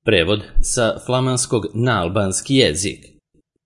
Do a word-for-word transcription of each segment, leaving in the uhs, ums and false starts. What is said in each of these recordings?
Prevod sa flamanskog na albanski jezik.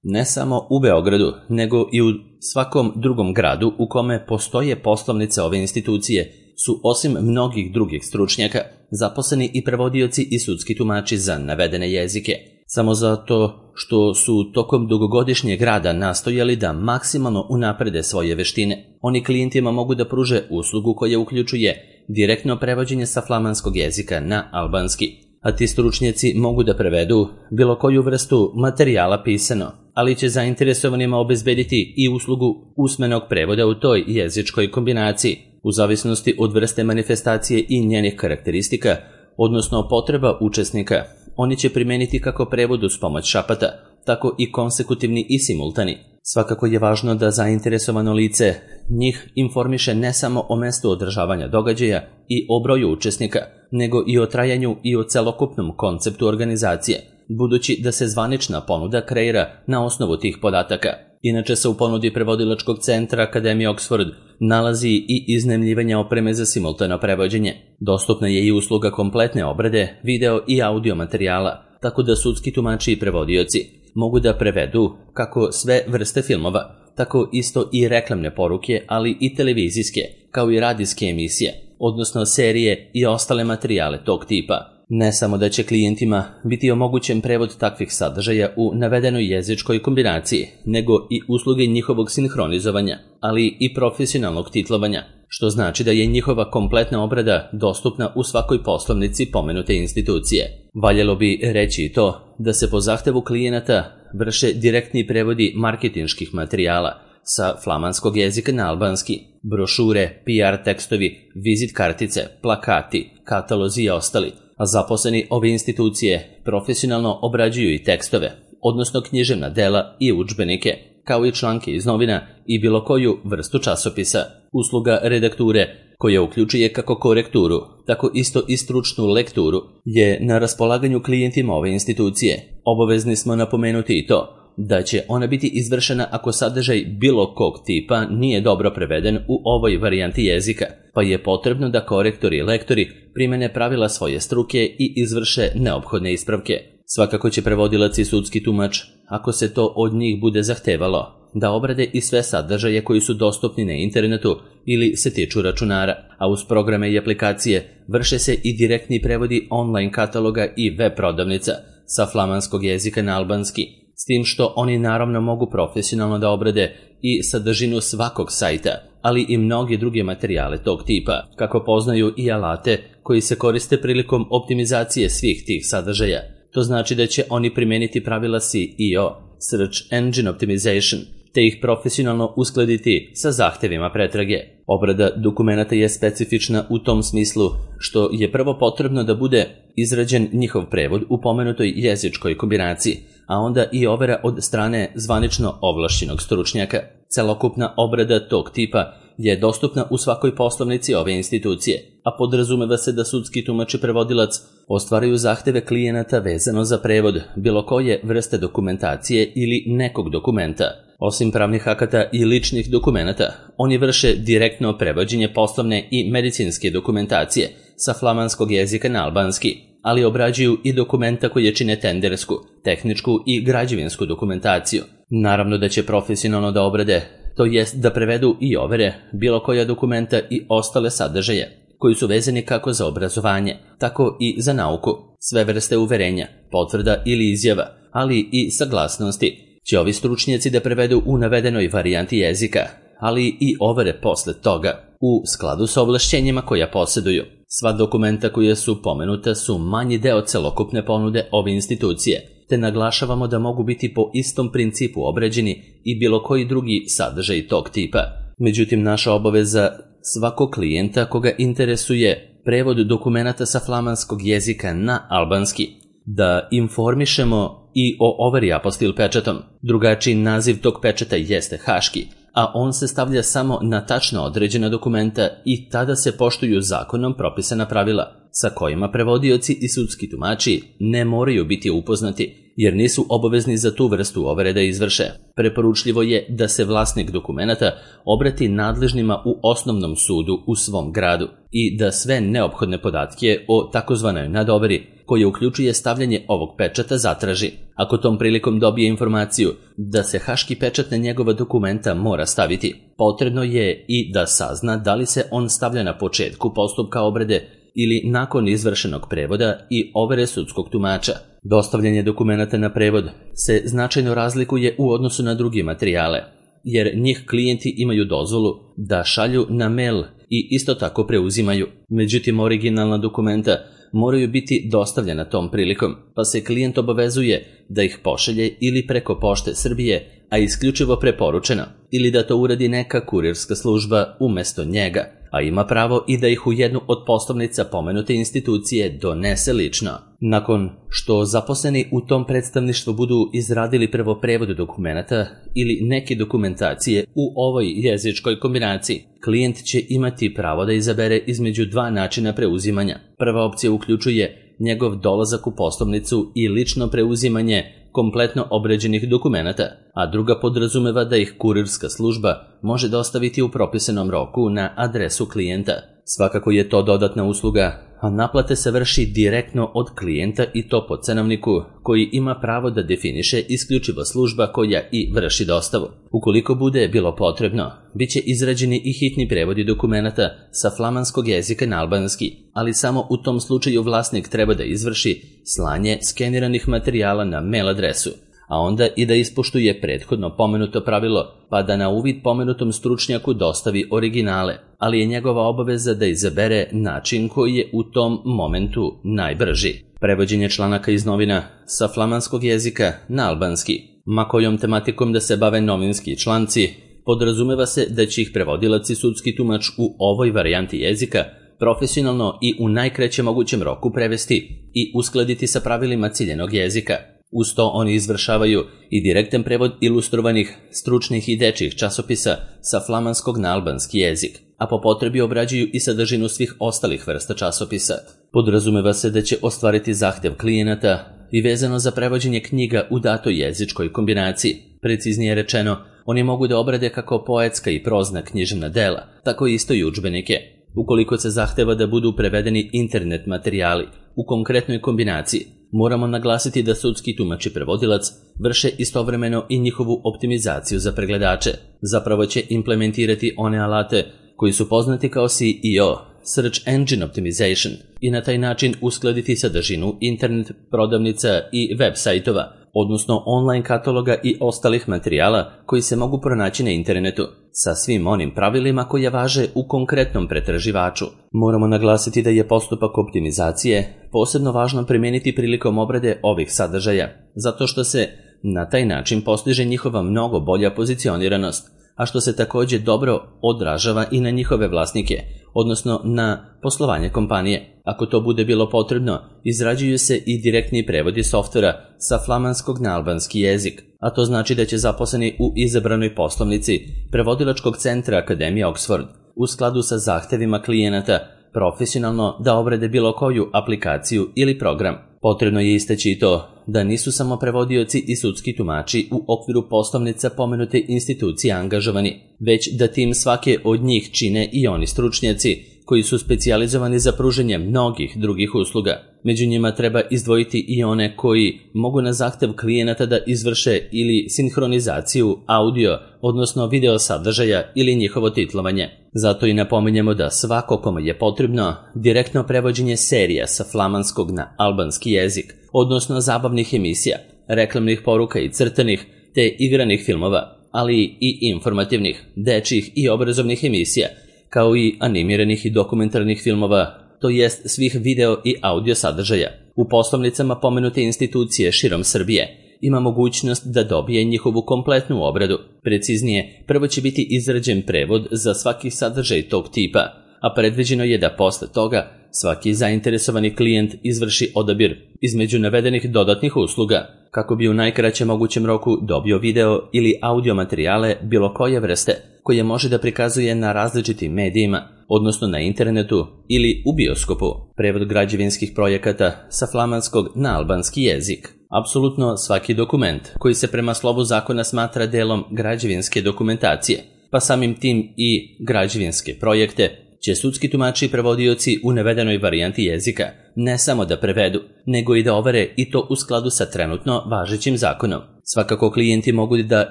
Ne samo u Beogradu, nego i u svakom drugom gradu u kome postoje poslovnice ove institucije su osim mnogih drugih stručnjaka zaposleni i prevodioci i sudski tumači za navedene jezike. Samo zato što su tokom dugogodišnjeg rada nastojali da maksimalno unaprede svoje veštine, oni klijentima mogu da pruže uslugu koja uključuje direktno prevođenje sa flamanskog jezika na albanski, a ti stručnjaci mogu da prevedu bilo koju vrstu materijala pisano, ali će zainteresovanima obezbediti i uslugu usmenog prevoda u toj jezičkoj kombinaciji, u zavisnosti od vrste manifestacije i njenih karakteristika, odnosno potreba učesnika. Oni će primeniti kako prevod uz pomoć šapata, tako i konsekutivni i simultani. Svakako je važno da zainteresovano lice njih informiše ne samo o mestu održavanja događaja i o broju učesnika, nego i o trajanju i o celokupnom konceptu organizacije, budući da se zvanična ponuda kreira na osnovu tih podataka. Inače se u ponudi prevodilačkog centra Akademije Oxford nalazi i iznajmljivanje opreme za simultano prevođenje. Dostupna je i usluga kompletne obrade, video i audio materijala, tako da sudski tumači i prevodioci mogu da prevedu kako sve vrste filmova, tako isto i reklamne poruke, ali i televizijske, kao i radijske emisije, odnosno serije i ostale materijale tog tipa. Ne samo da će klijentima biti omogućen prevod takvih sadržaja u navedenoj jezičkoj kombinaciji, nego i usluge njihovog sinhronizovanja, ali i profesionalnog titlovanja, što znači da je njihova kompletna obrada dostupna u svakoj poslovnici pomenute institucije. Valjalo bi reći i to da se po zahtevu klijenata vrše direktni prevodi marketinških materijala sa flamanskog jezika na albanski, brošure, P R tekstovi, vizit kartice, plakati, katalozi i ostali, a zaposleni ove institucije profesionalno obrađuju i tekstove, odnosno književna dela i udžbenike, kao i članke iz novina i bilo koju vrstu časopisa. Usluga redakture, koja uključuje kako korekturu, tako isto i stručnu lekturu, je na raspolaganju klijentima ove institucije. Obavezni smo napomenuti i to da će ona biti izvršena ako sadržaj bilo kog tipa nije dobro preveden u ovoj varijanti jezika, pa je potrebno da korektori i lektori primene pravila svoje struke i izvrše neophodne ispravke. Svakako će prevodilac i sudski tumač, ako se to od njih bude zahtevalo, da obrade i sve sadržaje koji su dostupni na internetu ili se tiču računara, a uz programe i aplikacije vrše se i direktni prevodi online kataloga i web prodavnica sa flamanskog jezika na albanski, s tim što oni naravno mogu profesionalno da obrade i sadržinu svakog sajta, ali i mnoge druge materijale tog tipa, kako poznaju i alate koji se koriste prilikom optimizacije svih tih sadržaja. To znači da će oni primeniti pravila S E O, Search Engine Optimization, te ih profesionalno uskladiti sa zahtevima pretrage. Obrada dokumenata je specifična u tom smislu što je prvo potrebno da bude izrađen njihov prevod u pomenutoj jezičkoj kombinaciji, a onda i overa od strane zvanično ovlašćenog stručnjaka. Celokupna obrada tog tipa je dostupna u svakoj poslovnici ove institucije, a podrazumeva se da sudski tumač i prevodilac ostvaraju zahteve klijenata vezano za prevod bilo koje vrste dokumentacije ili nekog dokumenta. Osim pravnih akata i ličnih dokumenata, oni vrše direktno prevođenje poslovne i medicinske dokumentacije sa flamanskog jezika na albanski, ali obrađuju i dokumenta koje čine tendersku, tehničku i građevinsku dokumentaciju. Naravno da će profesionalno da obrade, to jest da prevedu i overe bilo koja dokumenta i ostale sadržaje koji su vezani kako za obrazovanje, tako i za nauku, sve vrste uverenja, potvrda ili izjava, ali i saglasnosti će ovi stručnjaci da prevedu u navedenoj varijanti jezika, ali i overe posle toga, u skladu sa ovlašćenjima koja posjeduju. Sva dokumenta koja su pomenuta su manji deo celokupne ponude ove institucije, te naglašavamo da mogu biti po istom principu obrađeni i bilo koji drugi sadržaj tog tipa. Međutim, naša obaveza svakog klijenta koga interesuje prevod dokumenata sa flamanskog jezika na albanski, da informišemo i o overi apostil pečatom. Drugačiji naziv tog pečata jeste haški, a on se stavlja samo na tačno određena dokumenta i tada se poštuju zakonom propisana pravila, sa kojima prevodioci i sudski tumači ne moraju biti upoznati jer nisu obavezni za tu vrstu overe da izvrše. Preporučljivo je da se vlasnik dokumenata obrati nadležnima u osnovnom sudu u svom gradu i da sve neophodne podatke o takozvanoj nadoveri, koje uključuje stavljanje ovog pečata, zatraži. Ako tom prilikom dobije informaciju da se haški pečat na njegova dokumenta mora staviti, potrebno je i da sazna da li se on stavlja na početku postupka obrade ili nakon izvršenog prevoda i overe sudskog tumača. Dostavljanje dokumenata na prevod se značajno razlikuje u odnosu na druge materijale, jer njih klijenti imaju dozvolu da šalju na mail i isto tako preuzimaju. Međutim, originalna dokumenta moraju biti dostavljena tom prilikom, pa se klijent obavezuje da ih pošalje ili preko Pošte Srbije, a isključivo preporučeno, ili da to uradi neka kurirska služba umesto njega, a ima pravo i da ih u jednu od poslovnica pomenute institucije donese lično. Nakon što zaposleni u tom predstavništvu budu izradili prvo prevod dokumenata ili neke dokumentacije u ovoj jezičkoj kombinaciji, klijent će imati pravo da izabere između dva načina preuzimanja. Prva opcija uključuje njegov dolazak u poslovnicu i lično preuzimanje kompletno obrađenih dokumenata, a druga podrazumeva da ih kurirska služba može dostaviti u propisanom roku na adresu klijenta. Svakako je to dodatna usluga, a naplate se vrši direktno od klijenta i to po cenovniku koji ima pravo da definiše isključivo služba koja i vrši dostavu. Ukoliko bude bilo potrebno, bit će izrađeni i hitni prevodi dokumenata sa flamanskog jezika na albanski, ali samo u tom slučaju vlasnik treba da izvrši slanje skeniranih materijala na mail adresu, a onda i da ispoštuje prethodno pomenuto pravilo, pa da na uvid pomenutom stručnjaku dostavi originale, ali je njegova obaveza da izabere način koji je u tom momentu najbrži. Prevođenje članaka iz novina sa flamanskog jezika na albanski. Ma kojom tematikom da se bave novinski članci, podrazumeva se da će ih prevodilac i sudski tumač u ovoj varijanti jezika profesionalno i u najkraćem mogućem roku prevesti i uskladiti sa pravilima ciljenog jezika. Uz to oni izvršavaju i direktan prevod ilustrovanih, stručnih i dečjih časopisa sa flamanskog na albanski jezik, a po potrebi obrađuju i sadržinu svih ostalih vrsta časopisa. Podrazumeva se da će ostvariti zahtev klijenata i vezano za prevođenje knjiga u datoj jezičkoj kombinaciji. Preciznije rečeno, oni mogu da obrade kako poetska i prozna književna dela, tako isto i udžbenike. Ukoliko se zahteva da budu prevedeni internet materijali u konkretnoj kombinaciji, moramo naglasiti da sudski tumač i prevodilac vrše istovremeno i njihovu optimizaciju za pregledače. Zapravo će implementirati one alate koji su poznati kao S E O, Search Engine Optimization, i na taj način uskladiti sadržinu internet prodavnica i web sajtova, odnosno online kataloga i ostalih materijala koji se mogu pronaći na internetu, sa svim onim pravilima koje važe u konkretnom pretraživaču. Moramo naglasiti da je postupak optimizacije posebno važno primijeniti prilikom obrade ovih sadržaja, zato što se na taj način postiže njihova mnogo bolja pozicioniranost, a što se također dobro odražava i na njihove vlasnike, odnosno na poslovanje kompanije. Ako to bude bilo potrebno, izrađuju se i direktni prevodi softvera sa flamanskog na albanski jezik, a to znači da će zaposleni u izabranoj poslovnici prevodilačkog centra Akademije Oxford u skladu sa zahtevima klijenata profesionalno da obrade bilo koju aplikaciju ili program. Potrebno je istaći i to da nisu samo prevodioci i sudski tumači u okviru poslovnica pomenute institucije angažovani, već da tim svake od njih čine i oni stručnjaci koji su specijalizovani za pružanje mnogih drugih usluga. Među njima treba izdvojiti i one koji mogu na zahtev klijenata da izvrše ili sinhronizaciju audio, odnosno video sadržaja ili njihovo titlovanje. Zato i napominjemo da svako kome je potrebno direktno prevođenje serija sa flamanskog na albanski jezik, odnosno zabavnih emisija, reklamnih poruka i crtanih te igranih filmova, ali i informativnih, dečjih i obrazovnih emisija, kao i animiranih i dokumentarnih filmova, to jest svih video i audio sadržaja. U poslovnicama pomenute institucije širom Srbije ima mogućnost da dobije njihovu kompletnu obradu. Preciznije, prvo će biti izrađen prevod za svaki sadržaj tog tipa, a predviđeno je da posle toga svaki zainteresovani klijent izvrši odabir između navedenih dodatnih usluga. kako bi u najkraćem mogućem roku dobio video ili audio materijale bilo koje vrste, koje može da prikazuje na različitim medijima, odnosno na internetu ili u bioskopu. Prevod građevinskih projekata sa flamanskog na albanski jezik. Apsolutno svaki dokument koji se prema slovu zakona smatra delom građevinske dokumentacije, pa samim tim i građevinske projekte, će sudski tumači i prevodioci u navedenoj varijanti jezika ne samo da prevedu, nego i da overe i to u skladu sa trenutno važećim zakonom. Svakako klijenti mogu da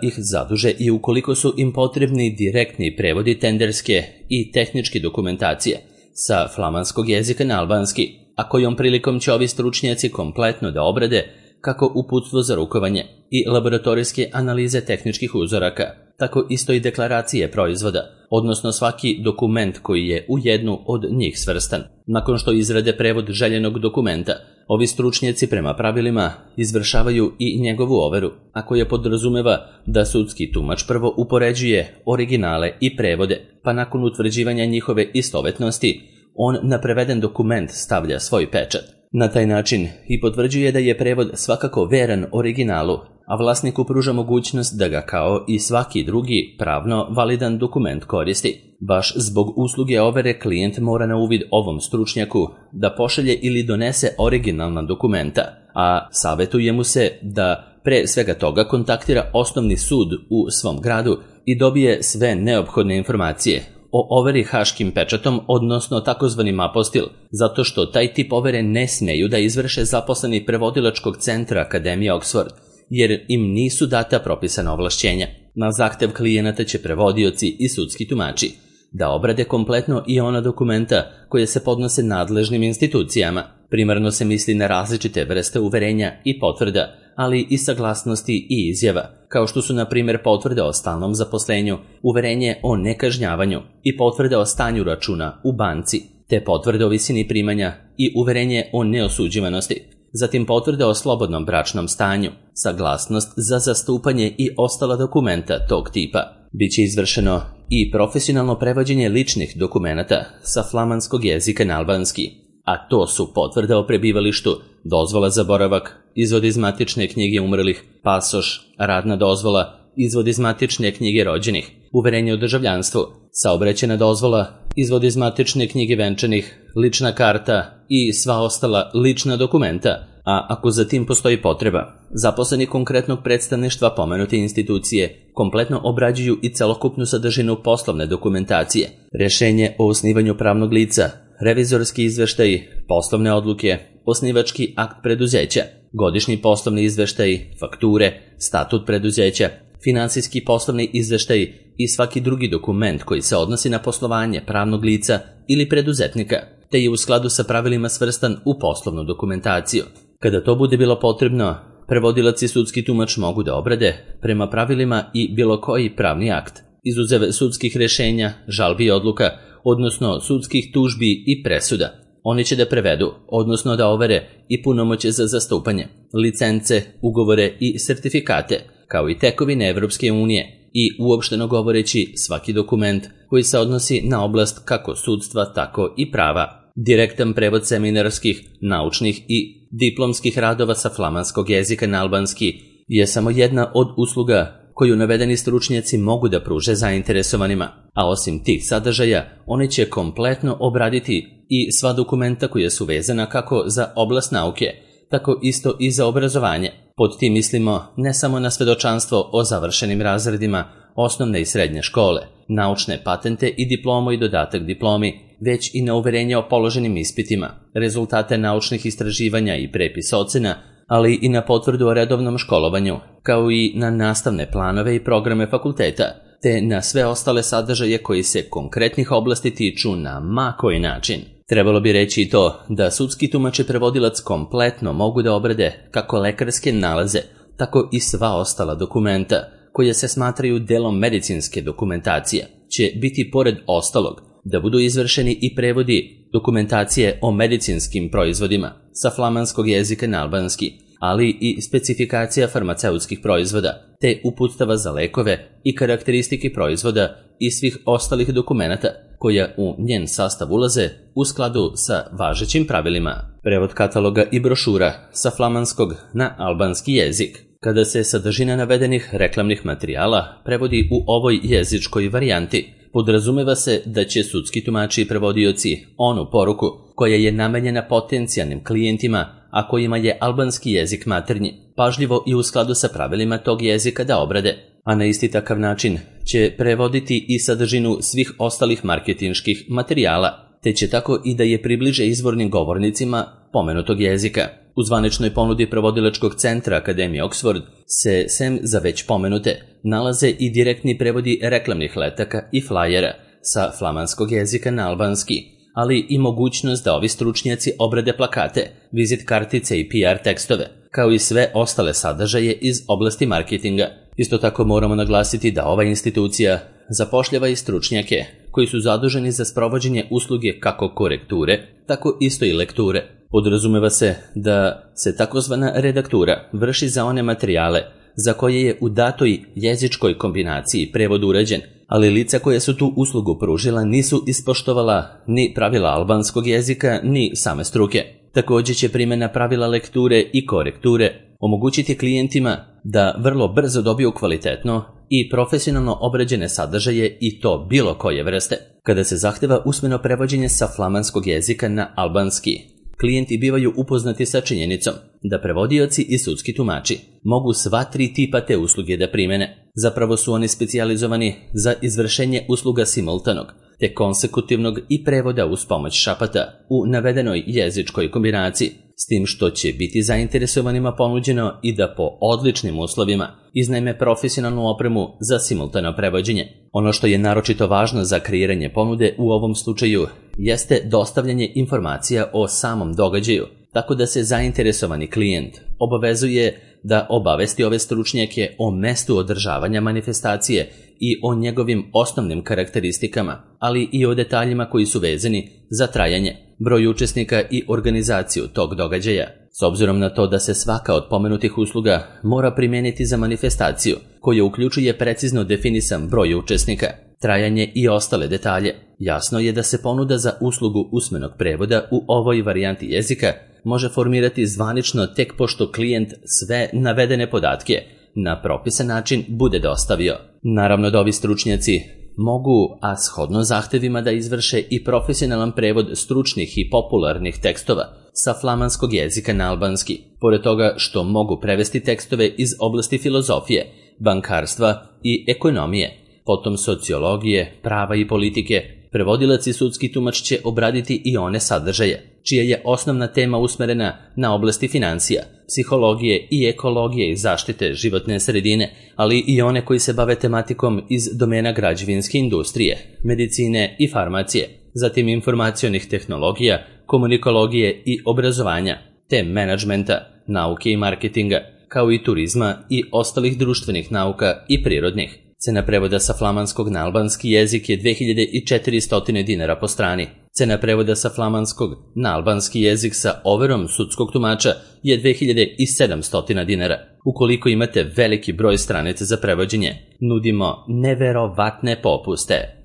ih zaduže i ukoliko su im potrebni direktni prevodi tenderske i tehničke dokumentacije sa flamanskog jezika na albanski, a kojom prilikom će ovi stručnjaci kompletno da obrade kako uputstvo za rukovanje i laboratorijske analize tehničkih uzoraka, tako isto i deklaracije proizvoda, odnosno svaki dokument koji je u jednu od njih svrstan. Nakon što izrade prevod željenog dokumenta, ovi stručnjaci prema pravilima izvršavaju i njegovu overu, a koja podrazumeva da sudski tumač prvo upoređuje originale i prevode, pa nakon utvrđivanja njihove istovetnosti, on na preveden dokument stavlja svoj pečat. Na taj način i potvrđuje da je prevod svakako veran originalu, a vlasniku pruža mogućnost da ga kao i svaki drugi pravno validan dokument koristi. Baš zbog usluge overe klijent mora na uvid ovom stručnjaku da pošalje ili donese originalna dokumenta, a savjetuje mu se da pre svega toga kontaktira osnovni sud u svom gradu i dobije sve neophodne informacije o overi haškim pečatom, odnosno takozvanim apostil, zato što taj tip overe ne smeju da izvrše zaposleni prevodilačkog centra Akademije Oxford, jer im nisu data propisana ovlašćenja. Na zahtev klijenata će prevodioci i sudski tumači da obrade kompletno i ona dokumenta koje se podnose nadležnim institucijama. Primarno se misli na različite vrste uverenja i potvrda, ali i saglasnosti i izjava, kao što su na primjer potvrde o stalnom zaposlenju, uverenje o nekažnjavanju i potvrde o stanju računa u banci, te potvrde o visini primanja i uverenje o neosuđivanosti. Zatim potvrde o slobodnom bračnom stanju, saglasnost za zastupanje i ostala dokumenta tog tipa. Biće izvršeno i profesionalno prevođenje ličnih dokumenata sa flamanskog jezika na albanski, a to su potvrda o prebivalištu, dozvola za boravak, izvod iz matične knjige umrlih, pasoš, radna dozvola, izvod iz matične knjige rođenih, uverenje o državljanstvu, saobraćajna dozvola, izvod iz matične knjige venčanih, lična karta i sva ostala lična dokumenta, a ako za tim postoji potreba, zaposleni konkretnog predstavništva pomenute institucije kompletno obrađuju i celokupnu sadržinu poslovne dokumentacije, rešenje o osnivanju pravnog lica, revizorski izveštaj, poslovne odluke, osnivački akt preduzeća, godišnji poslovni izveštaj, fakture, statut preduzeća, finansijski poslovni izveštaj i svaki drugi dokument koji se odnosi na poslovanje pravnog lica ili preduzetnika, te je u skladu sa pravilima svrstan u poslovnu dokumentaciju. Kada to bude bilo potrebno, prevodilac i sudski tumač mogu da obrade prema pravilima i bilo koji pravni akt, izuzev sudskih rešenja, žalbi i odluka, odnosno sudskih tužbi i presuda. Oni će da prevedu, odnosno da overe i punomoće za zastupanje, licence, ugovore i sertifikate, kao i tekovine Evropske unije i uopšteno govoreći svaki dokument koji se odnosi na oblast kako sudstva, tako i prava. Direktan prevod seminarskih, naučnih i diplomskih radova sa flamanskog jezika na albanski je samo jedna od usluga koju navedeni stručnjaci mogu da pruže zainteresovanima, a osim tih sadržaja, oni će kompletno obraditi i sva dokumenta koja su vezana kako za oblast nauke, tako isto i za obrazovanje. Pod tim mislimo ne samo na svedočanstvo o završenim razredima osnovne i srednje škole, naučne patente i diplomu i dodatak diplomi, već i na uverenje o položenim ispitima, rezultate naučnih istraživanja i prepis ocena, ali i na potvrdu o redovnom školovanju, kao i na nastavne planove i programe fakulteta, te na sve ostale sadržaje koji se konkretnih oblasti tiču na ma koji način. Trebalo bi reći i to da sudski tumač i prevodilac kompletno mogu da obrade kako lekarske nalaze, tako i sva ostala dokumenta, koje se smatraju delom medicinske dokumentacije, će biti pored ostalog da budu izvršeni i prevodi dokumentacije o medicinskim proizvodima sa flamanskog jezika na albanski, ali i specifikacija farmaceutskih proizvoda, te uputstava za lekove i karakteristike proizvoda i svih ostalih dokumenata koja u njen sastav ulaze u skladu sa važećim pravilima. Prevod kataloga i brošura sa flamanskog na albanski jezik. Kada se sadržina navedenih reklamnih materijala prevodi u ovoj jezičkoj varijanti, podrazumeva se da će sudski tumači i prevodioci onu poruku koja je namenjena potencijalnim klijentima, a kojima je albanski jezik maternji, pažljivo i u skladu sa pravilima tog jezika da obrade, a na isti takav način će prevoditi i sadržinu svih ostalih marketinških materijala, te će tako i da je približe izvornim govornicima pomenutog jezika. U zvaničnoj ponudi prevodilačkog centra Akademije Oxford se, sem za već pomenute, nalaze i direktni prevodi reklamnih letaka i flajera sa flamanskog jezika na albanski, ali i mogućnost da ovi stručnjaci obrade plakate, vizit kartice i P R tekstove, kao i sve ostale sadržaje iz oblasti marketinga. Isto tako moramo naglasiti da ova institucija zapošljava i stručnjake koji su zaduženi za sprovođenje usluge kako korekture, tako isto i lekture. Podrazumeva se da se takozvana redaktura vrši za one materijale za koje je u datoj jezičkoj kombinaciji prevod urađen, ali lica koje su tu uslugu pružila nisu ispoštovala ni pravila albanskog jezika ni same struke. Također će primjena pravila lekture i korekture omogućiti klijentima da vrlo brzo dobiju kvalitetno i profesionalno obrađene sadržaje i to bilo koje vrste. Kada se zahteva usmeno prevođenje sa flamanskog jezika na albanski, klijenti bivaju upoznati sa činjenicom da prevodioci i sudski tumači mogu sva tri tipa te usluge da primene. Zapravo su oni specijalizovani za izvršenje usluga simultanog, te konsekutivnog i prevoda uz pomoć šapata u navedenoj jezičkoj kombinaciji, s tim što će biti zainteresovanima ponuđeno i da po odličnim uslovima iznajme profesionalnu opremu za simultano prevođenje. Ono što je naročito važno za kreiranje ponude u ovom slučaju jeste dostavljanje informacija o samom događaju, tako da se zainteresovani klijent obavezuje da obavesti ove stručnjake o mestu održavanja manifestacije i o njegovim osnovnim karakteristikama, ali i o detaljima koji su vezani za trajanje, broj učesnika i organizaciju tog događaja. S obzirom na to da se svaka od pomenutih usluga mora primijeniti za manifestaciju, koja uključuje precizno definisan broj učesnika, trajanje i ostale detalje, jasno je da se ponuda za uslugu usmenog prevoda u ovoj varijanti jezika može formirati zvanično tek pošto klijent sve navedene podatke na propisan način bude dostavio. Naravno da ovi stručnjaci mogu, a shodno zahtevima, da izvrše i profesionalan prevod stručnih i popularnih tekstova sa flamanskog jezika na albanski, pored toga što mogu prevesti tekstove iz oblasti filozofije, bankarstva i ekonomije, potom sociologije, prava i politike. Prevodilac i sudski tumač će obraditi i one sadržaje, čija je osnovna tema usmerena na oblasti financija, psihologije i ekologije i zaštite životne sredine, ali i one koji se bave tematikom iz domena građevinske industrije, medicine i farmacije, zatim informacionih tehnologija, komunikologije i obrazovanja, te menadžmenta, nauke i marketinga, kao i turizma i ostalih društvenih nauka i prirodnih. Cena prevoda sa flamanskog na albanski jezik je dve hiljade četiristo dinara po strani. Cena prevoda sa flamanskog na albanski jezik sa overom sudskog tumača je dve hiljade sedamsto dinara. Ukoliko imate veliki broj stranica za prevođenje, nudimo neverovatne popuste.